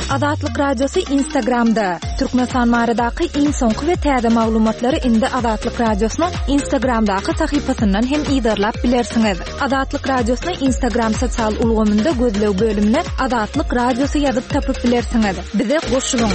Azatlyk Radiosy Instagramda, Türkmenistan baradaky iň soňky we täze maglumatlary indi Azatlyk Radiosynyň Instagramdaky sahypasyndan hem yzarlap bilersiňiz. Azatlyk Radiosyny Instagram sosial ulgamynda gözleg bölümine Azatlyk Radiosy ýazyp tapyp bilersiňiz. Bize goşulyň!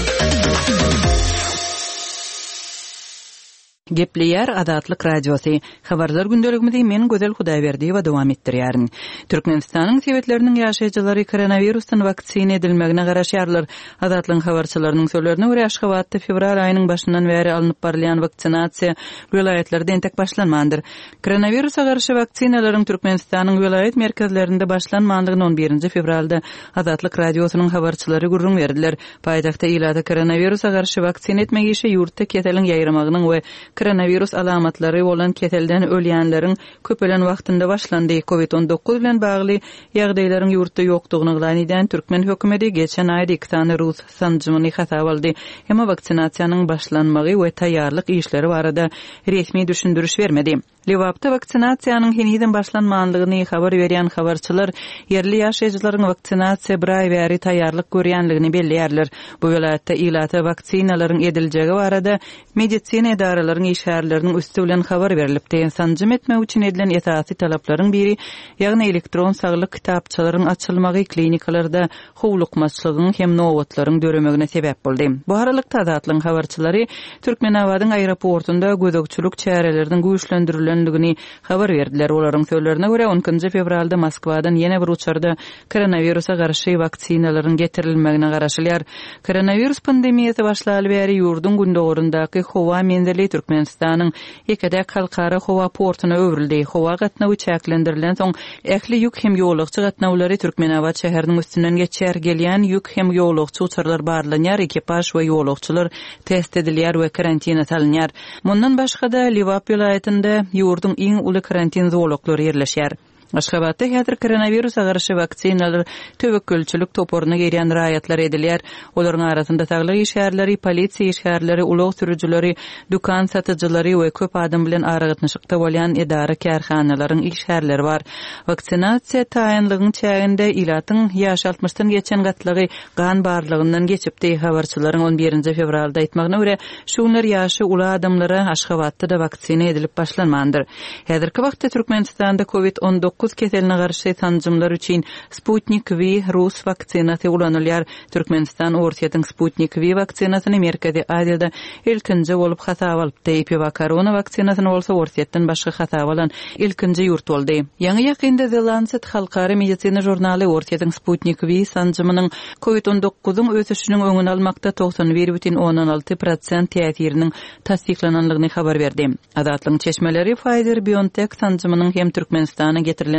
Gepleýär Azatlyk Radiosy. Habarlar gündeligimizi men Gözel Hudaýberdiýewa dowam etdirýärin. Türkmenistanyň sebitleriniň ýaşaýjylary koronawirusdan waksina edilmegine garaşýarlar. Azatlygyň habarçylarynyň sözlerine görä, Aşgabatda fewral aýynyň başyndan bäri alnyp barylýan waksinasiýa welaýatlarda entek başlanmandyr. Koronawirusa garşy waksinalaryň Türkmenistanyň welaýat merkezlerinde başlanmandygyny on birinji fewralda Azatlyk Radiosynyň habarçylary gürrüň berdiler. Paýtagtda ilata koronawirusa garşy waksina etmek işi ýurtda keseliň ýaýramagynyň we koronawirus alamatlary bolan keselden ölýänleriň köpelen wagtynda başlandy. Covid 19 bilen bagly ýagdaýlaryň ýurtda ýokdugyny yglan edýän türkmen hökümeti geçen aýda iki sany rus sanjymyny hasaba aldy. Emma waksinasiýanyň başlanmagy we taýýarlyk işleri barada resmi düşündiriş bermedi. Lebapda waksinasiýanyň henizem başlanmandygyny habar berýän habarçylar ýerli ýaşaýjylaryň waksinasiýa bir aý bäri taýýarlyk görýändigini belleýärler. Bu welaýatda ilata waksinalaryň ediljegi barada medisina edaralaryň işgärleriniň üsti bilen habar berlipdi. Sanjym etmek üçin edilen esasy talaplaryň biri, ýagny elektron saglyk kitapçalaryň açylmagy klinikalarda howlukmaçlygyň hem nobatlaryň döremegine sebäp boldy. Bu aralykda, Azatlygyň habarçylary Türkmenabadyň aeroportunda gözegçilik çäreleriniň güýçlendirilendigini habar berdiler. Olaryň sözlerine görä, on ikinji fewralda Moskwadan ýene bir uçarda koronawirusa garşy waksinalaryň getirilmegine garaşylýar. Koronawirus pandemiýasy başlaly bäri ýurduň gündogaryndaky howa menzili Türkmenistanyň ýeke-täk halkara howa portuna öwrüldi. Howa gatnawy çäklendirilensoň, ähli ýük hem ýolagçy gatnawlary Türkmenabat şäheriniň üstünden geçýär. Gelýän ýük hem ýolagçy uçarlar barlanýar, ekipaž we ýolagçylar test edilýär we karantina salynýar. Mundan başga-da, Lebap welaýatynda ýurduň iň uly karantin zolaklary ýerleşýär. Aşgabatda häzir koronawirusa garşy waksinalar töwekgelçilik toparyna girýän raýatlara edilýär. Olaryň arasynda saglyk işgärleri, polisiýa işgärleri, ulag sürüjileri, dükan satyjylary we köp adam bilen aragatnaşykda bolýan edara-kärhanalaryň işgärleri bar. Waksinasiýa taýynlygyň çäginde ilatyň ýaşy altmyşdan geçen gatlagy gan barlagyndan geçipdi. Habarçylaryň on birinji fewralda aýtmagyna görä, şu günler ýaşy uly adamlara Aşgabatda-da waksina edilip başlanmandyr. Häzirki wagtda Türkmenistanda Covid 19 keseline garşy sanjymlar üçin Sputnik V rus waksinasy ulanylýar. Türkmenistan Orsýetiň Sputnik V waksinasyny Merkezi Aziýada ilkinji bolup hasaba alypdy. EpiVacCorona waksinasyny bolsa Orsýetden başga hasaba alan ilkinji ýurt boldy. Ýaňy-ýakynda The Lancet halkara medisina žurnaly Orsýetiň Sputnik V sanjymynyň Covid on dokuzyň ösüşiniň öňüni almakda 91,6 prosent täsiriniň tassyklanandygyny habar berdi. Azatlygyň çeşmeleri Pfizer-BioNTech sanjymynyň hem Türkmenistana getirilendigini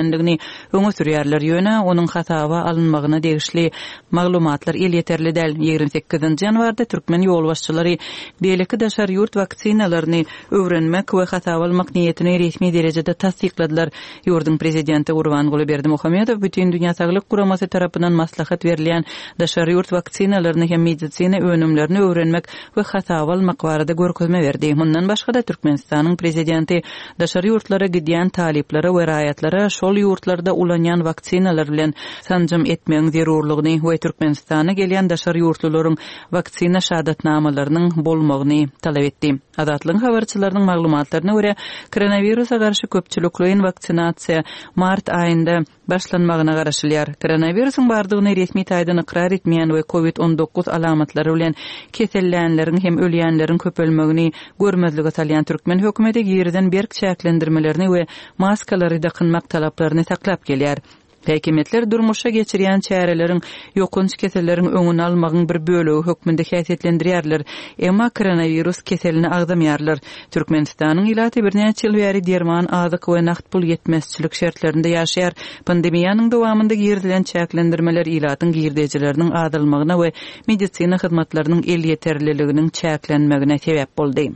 öňe sürýärler, ýöne onuň hasaba alynmagyna degişli maglumatlar elýeterli däl. 28 ýanwarda türkmen ýolbaşçylary beýleki daşary ýurt waksinalaryny öwrenmek we hasaba almak niýetini resmi derejede tassykladylar. Ýurduň prezidenti Gurbanguly Berdimuhamedow Bütindünýä saglyk guramasy tarapyndan maslahat berilýän daşary ýurt waksinalaryny hem medisina önümlerini öwrenmek we hasaba almak barada görkezme berdi. Mundan başga-da, Türkmenistanyň Prezidenti daşary ýurtlara gidýän talyplara we raýatlara şol ýurtlarda ulanýan waksinalar bilen sanjym etmegiň zerurlygyny we Türkmenistana gelýän daşary ýurtlularyň waksina şahadatnamalarynyň bolmagyny talap etdi. Azatlygyň habarçylarynyň maglumatlaryna görä, koronawirusa garşy köpçülikleýin waksinasiýa mart aýynda başlanmagyna garaşylýar. Koronawirusyň bardygyny resmi taýdan ykrar etmeýän we covid 19 alamatlary bilen kesellänleriň hem ölýänleriň köpelmegini görmezlige salýan türkmen hökümeti girizen berk çäklendirmelerini we maskalary dakynmak talaplaryny saklap gelýär. Häkimiýetler durmuşa geçirýän çäreleriň ýokanç keselleriň öňüni almagyň bir bölegi hökmünde häsiýetlendirýärler, emma koronawirus keselini agzamaýarlar. Türkmenistanyň ilaty birnäçe ýyl bäri derman, azyk we nagt pul ýetmezçilik şertlerinde ýaşaýar. Pandemiýanyň dowamynda girizilen çäklendirmeler ilatyň girdejileriniň azalmagyna we medisina hyzmatlarynyň elýeterliliginiň çäklenmegine sebäp boldy.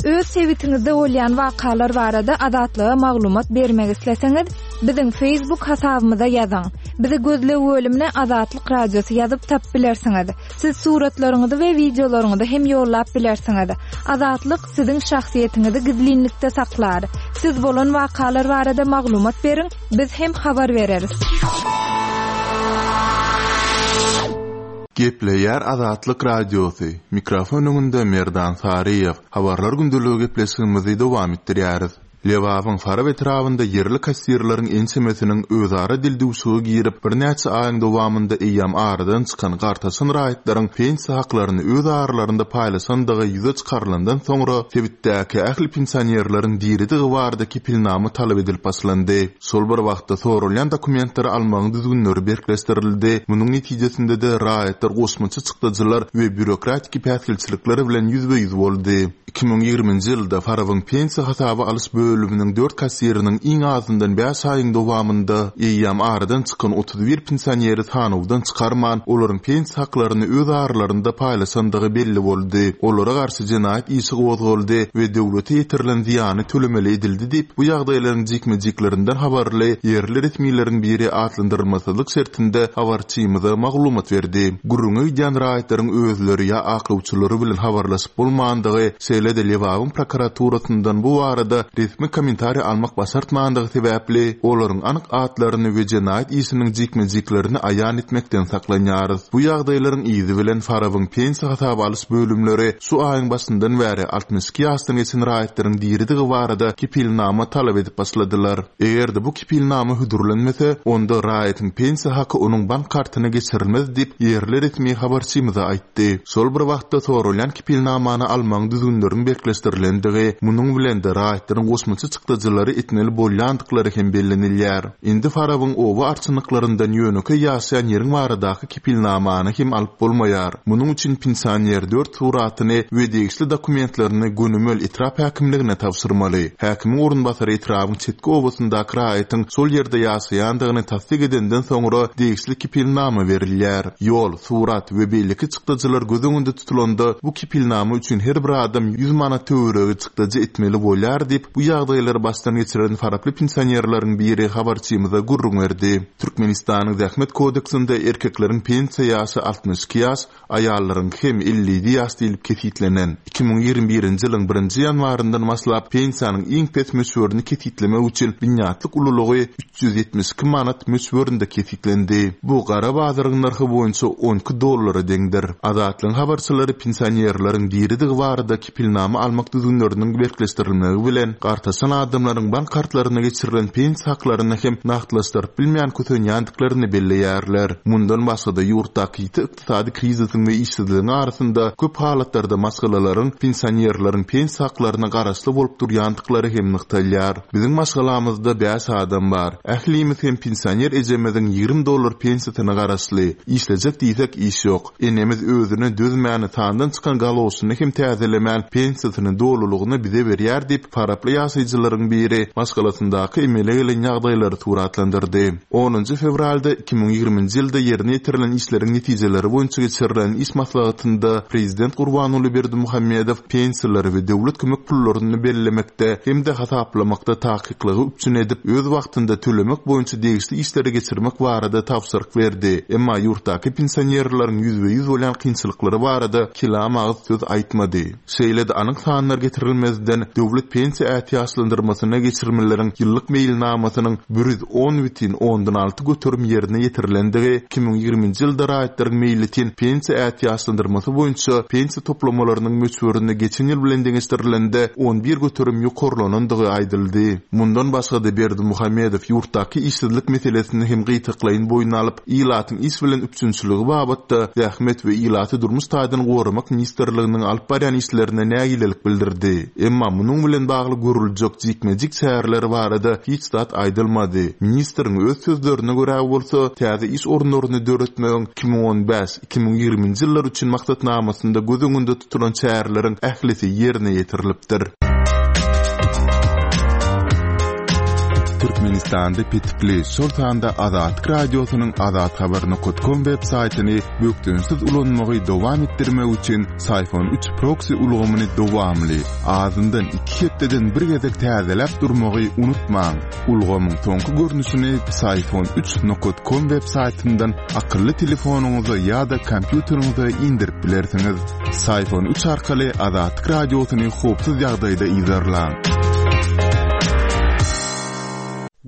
Öz sebitiňizde bolýan wakalar barada Azatlyga maglumat bermek isleseňiz, biziň Facebook hasabymyza ýazyň. Bizi gözleg bölümine Azatlyk Radiosy ýazyp tapyp bilersiňiz. Siz suratlaryňyzy we wideolaryňyzy hem ýollap bilersiňiz. Azatlyk siziň şahsyýetiňizi gizlinlikde saklar. Siz bolan wakalar barada maglumat beriň, biz hem habar bereris. Gepleýär Azatlyk Radiosy, mikrofon öňünde Merdan Saryýew. Habarlar gündeligi gepleşigimizi dowam etdirýäris. Lebabyň Farap etrabynda ýerli kassirleriň ençemesiniň özara dildüwşüge girip, birnäçe aýyň dowamynda eýýäm aradan çykan gartaşan raýatlaryň pensiýa haklaryny öz aralarynda paýlaşandygy ýüze çykarylandan soňra, sebitdäki ähli pensionerleriň diridigi barada kepilnama talap edilip başlandy. Şol bir wagtda, soralýan dokumentleri almagyň düzgünleri berkleşdirildi, munuň netijesinde-de raýatlar goşmaça çykdajylar we býurokratiki päsgelçilikler bilen ýüzbe-ýüz boldy. 2020-nji ýylda Farabyň pensiýa hasaba alyş bölüminiň dört kassiriniň iň azyndan bäş aýyň dowamynda eýýäm aradan çykan 31 pensioneri sanawdan çykarman, olaryň pensiýa haklaryny öz aralarynda paýlaşandygy belli boldy. Olara garşy jenaýat işi gozgaldy we döwlete ýetirilen zyýany tölemeli edildi diýip, bu ýagdaýlaryň jikme-jiklerinden habarly ýerli resmileriň biri atlandyrylmasyzlyk şertinde habarçymyza maglumat berdi. Gürrüňi gidýän raýatlaryň özleri ýa aklawçylary bilen habarlaşyp bolmandygy, şeýle-de Lebabyň prokuraturasyndan bu barada resmi kommentariý almak başartmandygy sebäpli, olaryň anyk atlaryny we jenaýat işiniň jikme-jiklerini aýan etmekden saklanýarys. Bu ýagdaýlaryň yzy bilen Farabyň pensiýa hasaba alyş bölümleri şu aýyň başyndan bäri 62 ýaşdan geçen raýatlaryň diridigi barada kepilnama talap edip başladylar. Eger-de bu kepilnama hödürlenmese, onda raýatyň pensiýa haky onuň bank kartyna geçirilmez diýip, ýerli resmi habarçymyza aýtdy. Şol bir wagtda, soralýan kepilnamany almagyň düzgünleriniň berkleşdirilendigi, munuň bilen-de raýatlaryň goşmaça çykdajylary etmeli bolýandyklary hem bellenilýär. Indi Farabyň oba arçynlyklaryndan ýönekeý ýaşaýan ýeriň baradaky kepilnamany hem alyp bolmaýar. Munuň üçin pensioner dört suratyny we degişli dokumentlerini gönümel etrap häkimligine tabşyrmaly. Häkimiň orunbasary etrabyň çetki obasyndaky raýatyň şol ýerde ýaşaýandygyny tassyk edenden soňra degişli kepilnama berilýär. Ýol, surat we beýleki çykdajylar göz öňünde tutulanda, bu kepilnama üçin her bir adam 100 manat töweregi çykdajy etmeli bolýar diýip, bu ýagdaýlary başdan geçiren faraply pensionerleriň biri habarçymyza gürrüň berdi. Türkmenistanyň Zähmet kodeksinde erkekleriň pensiýa ýaşy 62 ýaş, aýallaryňky hem 57 ýaş diýlip kesgitlenen. 2021-nji ýylyň birinji ýanwaryndan başlap pensiýanyň iň pes möçberini kesgitlemek üçin binýatlyk ululygy 372 manat möçberinde kesgitlendi. Bu gara bazaryň nyrhy boýunça 12 dollara deňdir. Azatlygyň habarçylary pensionerleriň diridigi barada kepilnama almak düzgünleriniň berkleşdirilmegi bilen, gartaşan adamlaryň bank kartlaryna geçirilen pensiýa haklaryny hem nagtlaşdyryp bilmän kösenýändiklerini belleýärler. Mundan başga-da, ýurtdaky ýiti ykdysady krizisiň we işsizligiň arasynda köp halatlarda maşgalalaryň pensionerleriň pensiýa haklaryna garaşly bolup durýandyklary hem nygtalýar. Biziň maşgalamyzda bäş adam bar. Ählimiz hem pensioner ejemiziň 20 dollar pensiýasyna garaşly. Işlejek diýsek iş ýok. Enemiz özüne dözmän, sandan çykan galoşyny hem täzelemän, pensiýasyny dolulygyna bize berýär diýip, faraply ýaşaýjylaryň biri maşgalasyndaky emele gelen ýagdaýlary suratlandyrdy. Onunjy fewralda 2020-nji ýylda ýerine ýetirilen işleriň netijeleri boýunça geçirilen iş maslahatynda prezident Gurbanguly Berdimuhamedow pensiýalary we döwlet kömek pullaryny bellemekde hem-de hasaplamakda takyklygy üpjün edip, öz wagtynda tölemek boýunça degişli işleri geçirmek barada tabşyryk berdi. Emma ýurtdaky pensionerleriň ýüzbe-ýüz bolýan kynçylyklary barada kelam agyz söz aýtmady. Şeýle-de anyk sanlar getirilmezden, döwlet pensiýa ätiýaçlandyrmasyna geçirmeleriň ýyllyk meýilnamasynyň 110,6% ýerine ýetirilendigi, 2020-nji ýylda raýatlaryň meýletin pensiýa ätiýaçlandyrmasy boýunça pensiýa toplamalarynyň möçberinde geçen ýyl bilen deňeşdirilende 11% ýokarlanandygy aýdyldy. Mundan başga-da Berdimuhamedow ýurtdaky işsizlik meselesini hem gytaklaýyn boýun alyp, ilatyň iş bilen üpjünçiligi babatda Zähmet we ilaty durmuş taýdan goramak ministrliginiň alyp barýan işlerine nägilelik bildirdi. Emma munuň bilen bagly görüljek jikme-jik çäreler barada hiç zat aýdylmady. Ministriň öz sözlerine görä bolsa, täze iş orunlaryny döretmegiň 2015, 2020-nji ýyllar üçin maksatnamasynda göz öňünde tutulan çäreleriň ählisi ýerine ýetirilipdir. Türkmenistanda petikli, şol sanda Azatlyk Radiosynyň azathabar nokat kom web saýtyny bökdençsiz ulanmagy dowam etdirmek üçin Syfon üç proksi ulgamyny dowamly, azyndan iki hepdeden bir gezek täzeläp durmagy unutmaň. Ulgamyň soňky görnüşini Psiphon üç nokat kom web saýtyndan akylly telefonyňyza ýa-da kompýuteriňize indirip bilersiňiz. Psiphon üç arkaly Azatlyk Radiosyny howpsuz ýagdaýda yzarlaň.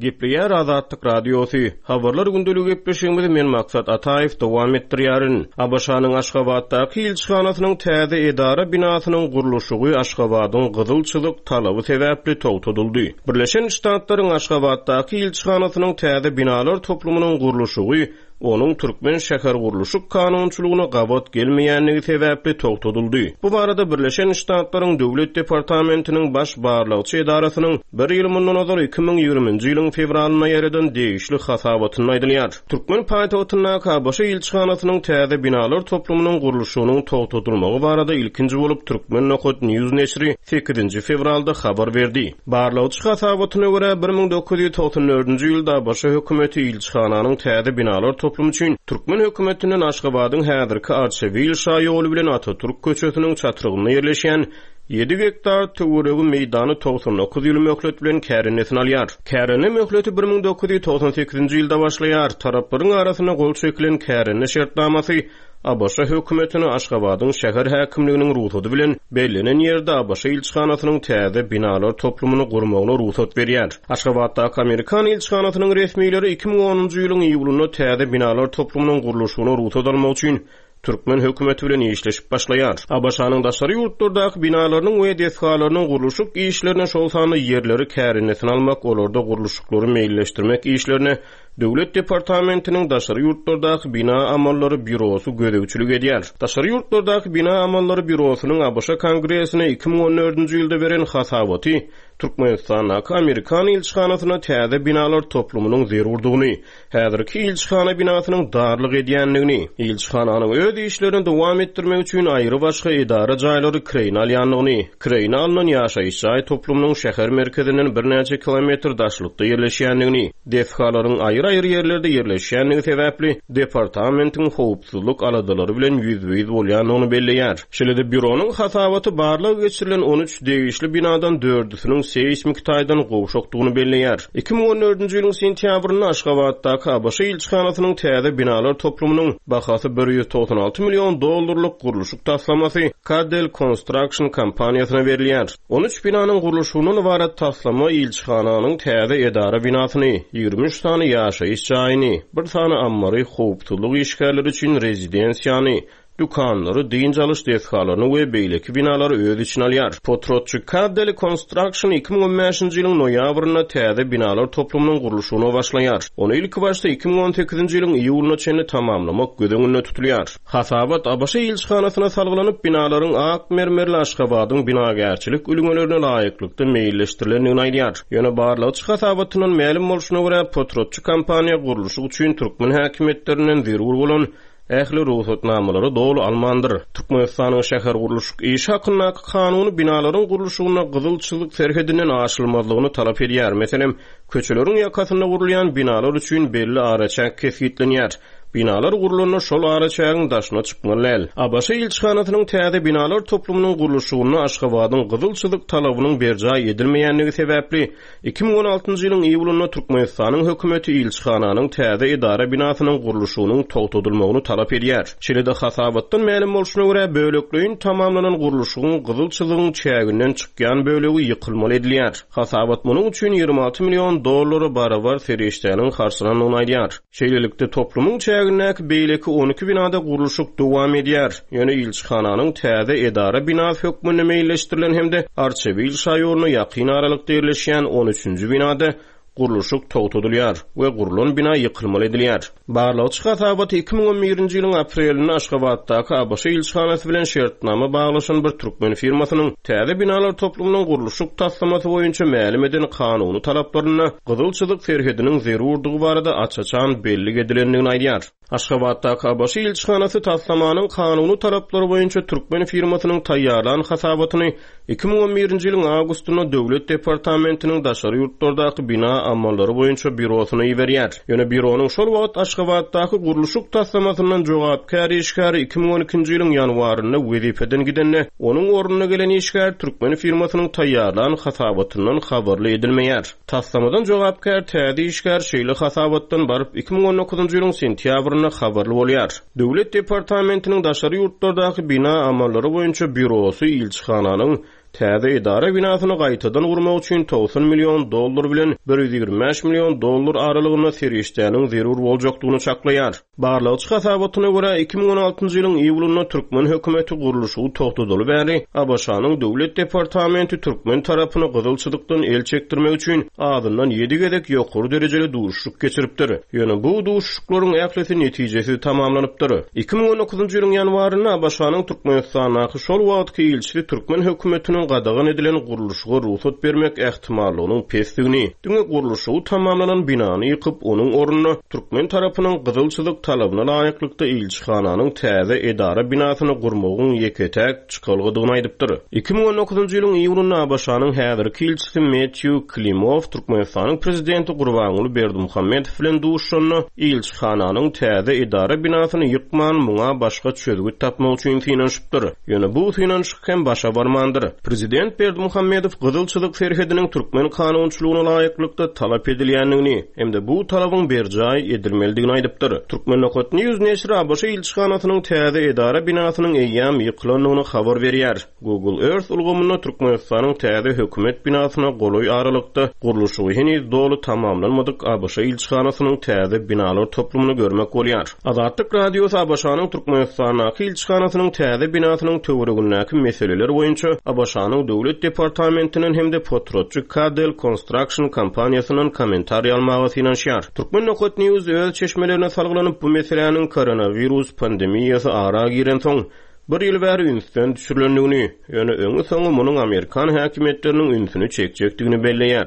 Gepleýär Azatlyk Radiosy. Habarlar gündeligi gepleşigimizi men Maksat Ataýew dowam etdirýärin. ABŞ-nyň Aşgabatdaky ilçihanasynyň täze edara binasynyň gurluşygy Aşgabadyň gyzyl çyzyk talaby sebäpli togtadyldy. Birleşen Ştatlaryň Aşgabatdaky ilçihanasynyň täze binalar toplumynyň gurluşygy onuň türkmen şähergurluşyk kanunçylygyna gabat gelmeýändigi sebäpli togtadyldy. Bu barada Birleşen Ştatlaryň Döwlet departamentiniň Baş barlagçy edarasynyň bir ýyl mundan ozal 2020-nji ýylyň fewralynda ýaýradan degişli hasabatynda aýdylýar. Türkmen paýtagtyndaky ABŞ ilçihanasynyň täze binalar toplumynyň gurluşygynyň togtadylmagy barada ilkinji bolup Turkmen. News neşiri sekizinji fewralda habar berdi. Barlagçy hasabatyna görä, 1994-nji ýylda ABŞ hökümeti ilçihananyň täze binalar toplumy üçin türkmen hökümetinden Aşgabadyň häzirki Arçabil şaýoly bilen Atatürk köçesiniň çatrygynda ýerleşýän ýedi gektar töweregi meýdany 99 ýyl möhlet bilen kärendesine alýar. Kärende möhleti 1998-nji ýylda başlaýar. Taraplaryň arasynda gol çekilen kärende şertnamasy ABŞ hökümetine Aşgabadyň şäher häkimliginiň rugsady bilen bellenen ýerde ABŞ ilçihanasynyň täze binalar toplumyny gurmagyna rugsat berýär. Aşgabatdaky amerikan ilçihanasynyň resmileri 2010-njy ýylyň iýulynda täze binalar toplumynyň gurluşygyna rugsat almak üçin türkmen hökümeti bilen işleşip başlaýar. ABŞ-nyň daşary ýurtlardaky binalarynyň we desgalarynyň gurluşyk işlerine, şol sanda ýerleri kärendesine almak, olarda gurluşyklary meýilleşdirmek işlerine Döwlet departamentiniň daşary ýurtlardaky bina amallary býurosy gözegçilik edýär. Daşary ýurtlardaky bina amallary býurosynyň ABŞ Kongresine 2014-nji ýylda beren hasabaty Türkmenistandaky amerikan ilçihanasyna täze binalar toplumynyň zerurdygyny, häzirki ilçihana binasynyň darlyk edýändigini, ilçihananyň öz işlerini dowam etdirmek üçin aýrybaşga edara jaýlary kireýine alýandygyny, kireýine alnan ýaşaýyş jaý toplumynyň şäher merkezinden birnäçe kilometr daşlykda ýerleşýändigini, Desgalaryň aýry-aýry ýerlerde ýerleşýändigi sebäpli, departamentiň howpsuzlyk aladalary bilen ýüzbe-ýüz bolýandygyny belleýär. Şeýle-de býuronyň hasabaty barlag geçirilen 13 degişli binadan dördüsiniň seýsmiki taýdan gowşakdygyny belleýär. 2014-nji ýylyň sentýabrynda Aşgabatdaky ABŞ ilçihanasynyň täze binalar toplumynyň bahasy 196 million dollarlyk gurluşyk taslamasy Caddell Construction kompaniýasyna berilýär. 13 binanyň gurluşygyndan ybarat taslama ilçihananyň täze edara binasyny, 23 sany ýaşaýyş jaýyny, bir sany ammary, howpsuzlyk işgärleri üçin rezidensiýany, dükanlary, dynç alyş desgalaryny we beýleki binalary öz içine alýar. Potratçy Caddeli Construction 2015-nji ýylyň noýabrynda täze binalar toplumynyň gurluşygyna başlaýar. Ony ilkibaşda 2018-nji ýylyň iýulyna çenli tamamlamak göz öňünde tutulýar. Hasabat ABŞ ilçihanasyna salgylanyp, binalaryň ak mermerli Aşgabadyň binagärçilik ülňelerine laýyklykda meýilleşdirilendigini aýdýar. Ýöne barlagçy hasabatyndan mälim bolşuna görä, potratçy kompaniýa gurluşyk üçin türkmen häkimiýetlerinden zerur bolan ähli rugsatnamalary doly almandyr. Türkmenistanyň şähergurluşyk işi hakyndaky kanuny binalaryň gurluşygynda gyzyl çyzyk serhedinden aşylmazlygyny talap edýär. Meselem, köçeleriň ýakasynda gurulýan binalar üçin belli araçäk kesgitlenýär. Binalar gurlanda şol araçägiň daşyna çykmaly däl. ABŞ ilçihanasynyň täze binalar toplumynyň gurluşygynda Aşgabadyň gyzyl çyzyk talabynyň berjaý edilmeýändigi sebäpli, 2016-njy ýylyň iýulynda Türkmenistanyň hökümeti ilçihananyň täze edara binasynyň gurluşygynyň togtadylmagyny talap edýär. Şeýle-de hasabatdan mälim bolşuna görä, bölekleýin tamamlanan gurluşygyň gyzyl çyzygyň çäginden çykýan bölegi ýykylmaly edilýär. Hasabat munuň üçin 26 million dollara barabar serişdäniň harçlanandygyny aýdýar. Şeýlelikde, toplumyň çägindäki beýleki 12 binada gurluşyk dowam edýär. Ýöne ilçihananyň täze edara binasy hökmünde meýilleşdirilen hem-de Arçabil şaýoluna ýakyn aralykda ýerleşýän on üçünji binada gurluşyk togtadylýar we gurlan bina ýykylmaly edilýär. Barlagçy hasabaty 2011-nji ýylyň aprelinde Aşgabatdaky ABŞ ilçihanasy bilen şertnama baglaşan bir türkmen firmasynyň täze binalar toplumynyň gurluşyk taslamasy boýunça mälim eden kanuny talaplarynda gyzyl çyzyk serhediniň zerurdygy barada aç-açan bellik edilendigini aýdýar. Aşgabatdaky ABŞ ilçihanasy taslamanyň kanuny talaplary boýunça türkmen firmasynyň taýýarlan hasabatyny 2011-nji ýylyň awgustynda Döwlet departamentiniň daşary ýurtlardaky bina amallary boýunça býurosyna iberýär. Ýöne býuronyň şol wagt Aşgabatdaky gurluşyk taslamasyndan jogapkär işgäri 2012-nji ýylyň ýanwarynda wezipeden gidende, onuň ornuna gelen işgär türkmen firmasynyň taýýarlan hasabatyndan habarly edilmeýär. Taslamadan jogapkär täze işgär şeýle hasabatdan baryp 2019-njy ýylyň sentýabrynda habarly bolýar. Döwlet departamentiniň daşary ýurtlardaky bina amallary boýunça býurosy ilçihananyň täze edara binasyny gaýtadan gurmak üçin 90 million dollar bilen 125 million dollar aralygynda serişdäniň zerur boljakdygyny çaklaýar. Barlagçy hasabatyna görä, 2016-njy ýylyň iýulynda türkmen hökümeti gurluşygy togtadaly bäri ABŞ-nyň Döwlet departamenti türkmen tarapyny gyzyl çyzykdan el çekdirmek üçin azyndan ýedi gezek ýokary derejeli duşuşyk geçiripdir. Ýöne bu duşuşyklaryň ählisi netijesiz tamamlanypdyr. 2019-njy ýylyň ýanwarynda ABŞ-nyň Türkmenistandaky şol wagtky ilçisi türkmen hökümetiniň gadagan edilen gurluşyga rugsat bermek ähtimallygynyň pesdigini, diňe gurluşygy tamamlanan binany ýykyp, onuň ornuna türkmen tarapynyň gyzyl çyzyk talabyna laýyklykda ilçihananyň täze edara binasyny gurmagyň ýeke-täk çykalgadygyny aýdypdyr. 2019-njy ýylyň iýulynda ABŞ-nyň häzirki ilçisi Metýu Klimow Türkmenistanyň Prezidenti Gurbanguly Berdimuhamedow bilen duşuşanda, ilçihananyň täze edara binasyny ýykman, muňa başga çözgüt tapmak üçin synanyşypdyr. Ýöne bu synanyşyk hem başa barmandyr. Prezident Berdimuhamedow gyzyl çyzyk serhediniň türkmen kanunçylygyna laýyklykda talap edilýändigini hem-de bu talabyň berjaý edilmelidigini aýdypdyr. Turkmenokatnews neşiri ABŞ ilçihanasynyň täze edara binasynyň eýýäm ýykylandygyny habar berýär. Google Earth ulgamynda Türkmenistanyň täze hökümet binasyna golaý aralykda gurluşygy heniz doly tamamlanmadyk ABŞ ilçihanasynyň täze binalar toplumyny görmek bolýar. Azatlyk Radiosy ABŞ-nyň Türkmenistandaky ilçihanasynyň täze binasynyň töweregindäki meseleler boýunça ABŞ-nyň Döwlet departamentinden hem-de potratçy Cadell Construction kompaniýasyndan kommentariý almaga synanyşýar. Turkmen.news öz çeşmelerine salgylanyp, bu meseläniň koronawirus pandemiýasy ara girensoň, bir ýyl bäri ünsden düşürilendigini, ýöne öňi-soňy munuň amerikan häkimiýetleriniň ünsüni çekjekdigini belleýär.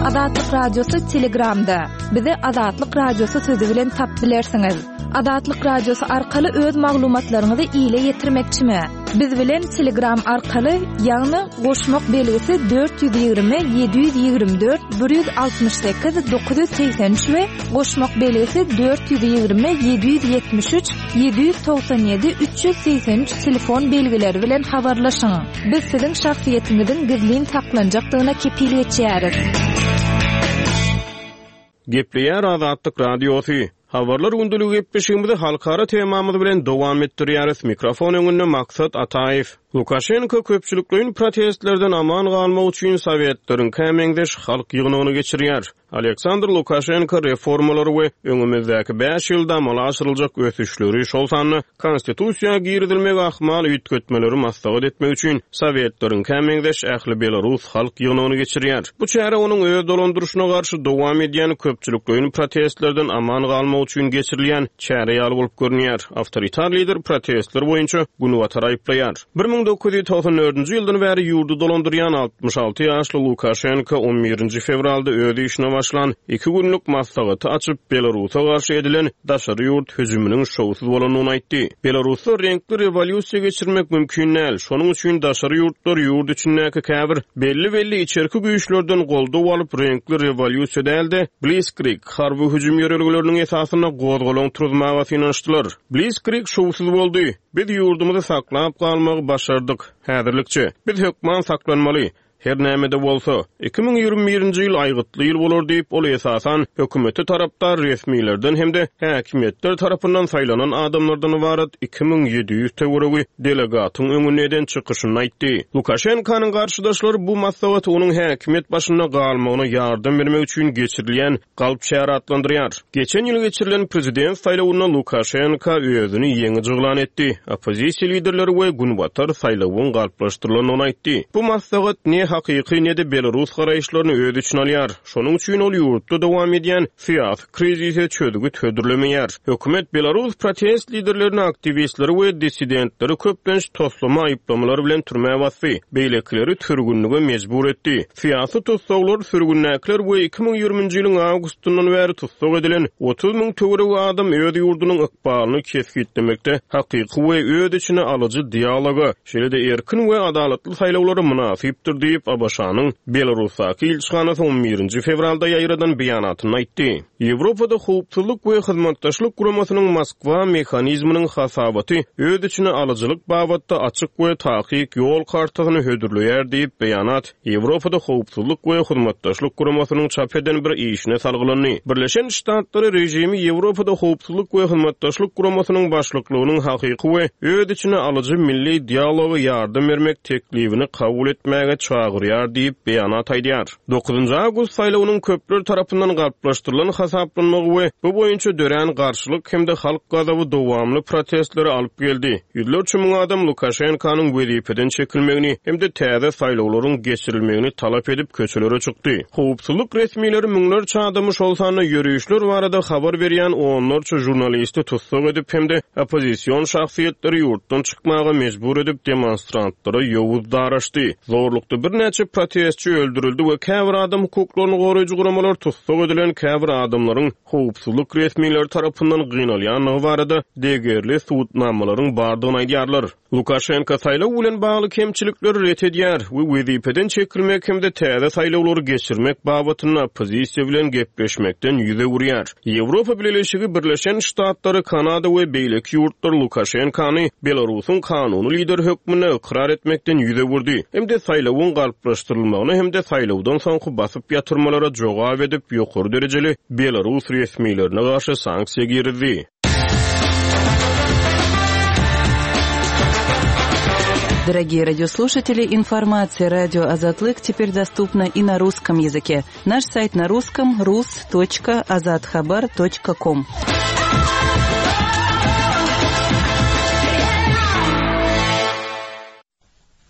Azatlyk Radiosy Telegramda. Bizi Azatlyk Radiosy sözi bilen tapyp bilersiňiz. Azatlyk Radiosy arkaly öz maglumatlaryňyzy ile ýetirmekçimi? Biz bilen Telegram arkaly, ýagny goşmak belgisi 420 724 168 983 we goşmak belgisi 420 773 797 383 telefon belgileri bilen habarlaşyň. Biz siziň şahsyýetiňiziň gizlin saklanjakdygyna kepil geçýäris. Gepleýär Azatlyk Radiosy. Habarlar gündeligi gepleşigimizi halkara temamyz bilen dowam etdirýäris. Mikrofon öňünde Maksat Ataýew. Lukaşenko köpçülikleýin protestlerden aman galmak üçin sowetleriňkä meňzeş halk ýygnagyny geçirýär. Aleksandr Lukaşenko reformalary we öňümizdäki bäş ýylda amala aşyryljak ösüşleri, şol sanda Konstitusiýa girizilmegi ahmal üýtgetmeleri maslahat etmek üçin sowetleriňkä meňzeş ähli belarus halk ýygnagyny geçirýär. Bu çäre onuň öz dolandyryşyna garşy dowam edýän köpçülikleýin protestlerden aman galmak üçin geçirilýän çäre ýaly bolup görünýär. Awtoritar lider protestler boýunça Günbatary aýyplaýar. 1994-nji ýyldan bäri ýurdy dolandyrýan 66 ýaşly Lukaşenko on birinji fewralda öz işine başlan iki günlük maslahaty açyp, Belarusa garşy edilen daşary ýurt hüjüminiň şowsuz bolandygyny aýtdy. Belarusda reňkli rewolýusiýa geçirmek mümkin däl, şonuň üçin daşary ýurtlar ýurt içindäki käbir belli-belli içerki güýçlerden goldaw alyp, reňkli rewolýusiýa däl-de, blitzkrieg, harby hüjüm ýörelgeleriniň esasynda gozgalaň turuzmaga synanyşdylar. Blitzkrieg şowsuz boldy. Biz ýurdumyzy saklap galmagy başardyk. Häzirlikçe. Biz hökman saklanmaly. Her näme-de bolsa, 2021-nji ýyl aýgytly ýyl bolar diýip, ol esasan hökümete tarapdar resmilerden hem-de häkimiýetler tarapyndan saýlanan adamlardan ybarat 2700 töweregi delegatyň öňünde eden çykyşynda aýtdy. Lukaşenkonyň garşydaşlary bu maslahaty onuň häkimiýet başynda galmagyna ýardam bermek üçin geçirilýän galp çäre atlandyrýar. Geçen ýyl geçirilen prezident saýlawynda Lukaşenko özüni ýeňiji yglan etdi. Oppozisiýa liderleri we Günbatar saýlawyň galplaşdyrylandygyny aýtdy. Bu maslahat ne. hakyky, ne-de belarus garaýyşlaryny öz içine alýar. Şonuň üçin ol ýurtda dowam edýän syýasy krizise çözgüt hödürlemeýär. Hökümet belarus protest liderlerini, aktiwistleri we dissidentleri köplenç toslama aýyplamalar bilen türmä basdy, beýlekileri sürgünlige mejbur etdi. Syýasy tussaglar, sürgündäkiler we 2020-nji ýylyň awgustyndan bäri tussag edilen 30 müň töweregi adam öz ýurdunyň ykbalyny kesgitlemekde hakyky we öz içine alyjy dialoga, şeýle-de erkin we adalatly saýlawlara mynasypdyr diýip, ABŞ-nyň Belarusdaky ilçihanasy on birinji fewralda ýaýradan beýanatynda aýtdy. Ýewropada Howpsuzlyk we Hyzmatdaşlyk Guramasynyň Moskwa mehanizminiň hasabaty öz içine alyjylyk babatda açyk we takyk ýol kartasyny hödürleýär diýip, beýanat Ýewropada Howpsuzlyk we Hyzmatdaşlyk Guramasynyň çap eden bir işine salgylandy. Birleşen Ştatlary režimi Ýewropada Howpsuzlyk we Hyzmatdaşlyk Guramasynyň başlyklygynyň hakyky we öz içine alyjy milli dialoga ýardam bermek teklibini kabul etmäge çagyrýar diýip, beýanat aýdýar. Dokuzynjy awgust saýlawynyň köpler tarapyndan galplaşdyrylan hasaplanmagy we bu boýunça dörän garşylyk hem-de halk gazaby dowamly protestlere alyp geldi. Ýüzlerçe müň adam Lukaşenkanyň wezipeden çekilmegini hem-de täze saýlawlaryň geçirilmegini talap edip köçelere çykdy. Howpsuzlyk resmileri müňlerçe adamy, şol sanda ýörişler barada habar berýän onlarça žurnalisti tussag edip hem-de oppozision şahsyýetleri ýurtdan çykmaga mejbur edip, demonstrantlara ýowuz daraşdy. Zorlukda birnäçe protestçi öldürildi we käbir adam hukuklaryny goraýjy guramalar tussag edilen käbir adamlaryň howpsuzlyk resmileri tarapyndan gynalýandygy barada degerli subutnamalaryň bardygyny aýdýarlar. Lukaşenko saýlaw bilen bagly kemçilikleri ret edýär we wezipeden çekilmek hem-de täze saýlawlary geçirmek babatynda oppozisiýa bilen gepleşmekden ýüz öwürýär. Ýewropa Bileleşigi, Birleşen Ştatlary, Kanada we beýleki ýurtlar Lukaşenkany Belarusyň kanuny lideri hökmünde ykrar etmekden ýüz öwürdi hem-de saýlawyň galplaşdyrylmagyna hem-de saýlawdan soňky basyp ýatyrmalara jogap edip ýokary derejeli belarus resmilerine garşy sanksiýa girizdi. Дорогие радиослушатели, информация радио Азатлык теперь доступна и на русском языке. Наш сайт на русском rus.azathabar.com.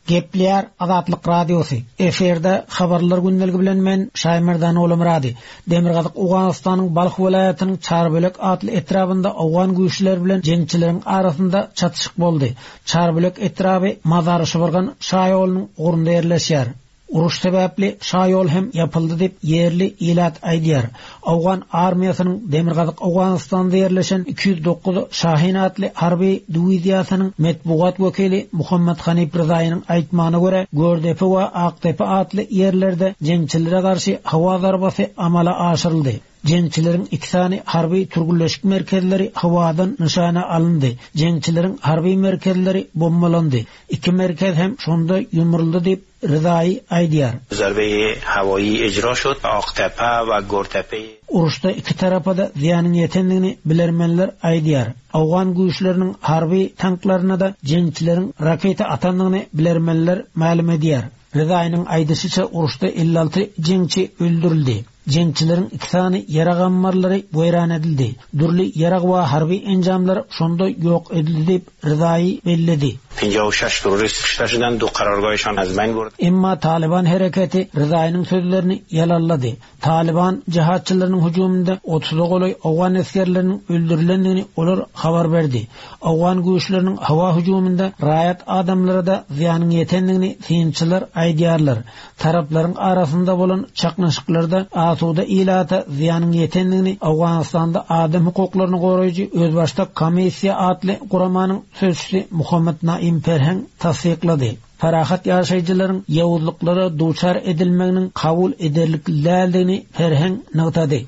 Gepleýär Azatlyk Radiosy. Efirde habarlar gündeligi bilen men Şaýmerdan Olamyrady. Demirgazyk Owganystanyň Balh welaýatynyň Çarbölek atly etrabynda owgan güýçleri bilen jeňçileriň arasynda çatyşyk boldy. Çarbölek etraby Mazary-Şybyrgan şaýolunyň ugrunda ýerleşýär. Uruş sebäpli şaýol hem ýapyldy diýip, ýerli ilat aýdýar. Owgan armiýasynyň Demirgazyk Owganystanda ýerleşen 209 Şahin atly harby diwiziýasynyň metbugat wekili Muhammet Hanif Ryzaýynyň aýtmagyna görä, Gördepe we Akdepe atly ýerlerde jeňçilere garşy howa zarbasy amala aşyryldy. Jeňçileriň iki sany harby türgünleşik merkezleri howadan nyşana alyndy. Jeňçileriň harby merkezleri bombalandy. Iki merkez hem şonda ýumruldy diýip, Ryzaýy aýdýar. Zarbeýi hawaýy ejra şod, Aktepe we Gortepe. Uruşda iki tarapa-da zyýanyň ýetendigini bilermenler aýdýar. Owgan güýçleriniň harby tanklaryna-da jeňçileriň raketa atandygyny bilermenler mälim edýär. Ryzaýynyň aýdyşyça, uruşda 56 jeňçi öldürildi. Jeňçileriň iki sany ýarag ammarlary weýran edildi. Dürli ýarag we harby enjamlar şonda ýok edildi diýip, Ryzaýy belledi. 56 terrorist kuşta şudan, du karargaýşan az beýn burd. Emma Talyban hereketi Ryzaýynyň sözlerini ýalanlady. Talyban jihatçylarynyň hüjüminde otuza golaý owgan esgerleriniň öldürilendigini olar habar berdi. Owgan güýçleriniň howa hüjüminde raýat adamlara-da zyýanyň ýetendigini synçylar aýdýarlar. Taraplaryň arasynda bolan çaknyşyklarda asuda ilata zyýanyň ýetendigini Owganystanda adam hukuklaryny goraýjy Özbaşdak komissiýa atly guramanyň sözçüsi Muhammad Naim Perheň tassyklady. Parahat ýaşaýjylaryň ýowuzlyklara duçar edilmeginiň kabul ederlikli däldigini Perheň nygtady.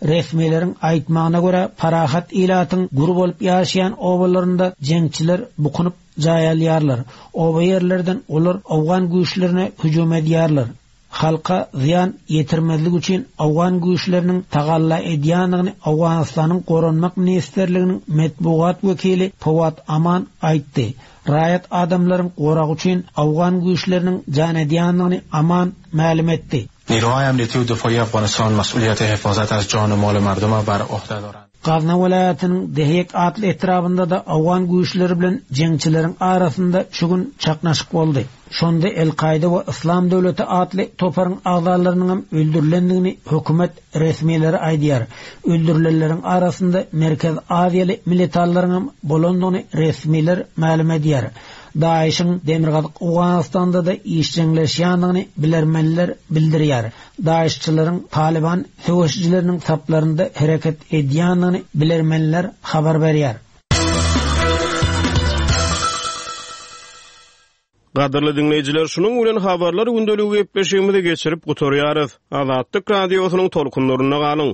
Resmileriň aýtmagyna görä, parahat ilatyň gür bolup ýaşaýan obalarynda jeňçiler bukunyp jaý alýarlar. Oba ýerlerden olar owgan güýçlerine hüjüm edýärler. Halka zyýan ýetirmezlik üçin owgan güýçleriniň tagalla edýändigini Owganystanyň Goranmak ministrliginiň metbugat wekili Fawad Aman aýtdy. Raýat adamlaryň goragy üçin owgan güýçleriniň jan edýändigini Aman mälim etdi. نیروهای امنیتی و دفاعی افغانستان مسئولیت حفاظت از جان و مال مردم را بر عهده دارند. Gazna welaýatynyň Dehek atly etrabynda-da owgan güýçleri bilen jeňçileriň arasynda şu gün çaknaşyk boldy. Şonda El-Kaýda we Yslam döwleti atly toparyň agzalarynyňam öldürilendigini hökümet resmileri aýdýar. Öldürilenleriň arasynda Merkezi Aziýaly militanlaryňam bolandygyny resmiler mälim edýär. DAIŞ-iň Demirgazyk Owganystanda-da işjeňleşýändigini bilermenler bildirýär. DAIŞ-çylaryň Talyban söweşijileriniň saplarynda hereket edýändigini bilermenler habar berýär. Gadyrly diňleýjiler, şunuň bilen Habarlar gündeligi gepleşigimizi geçirip gutarýarys. Azatlyk Radiosynyň tolkunlarynda galyň!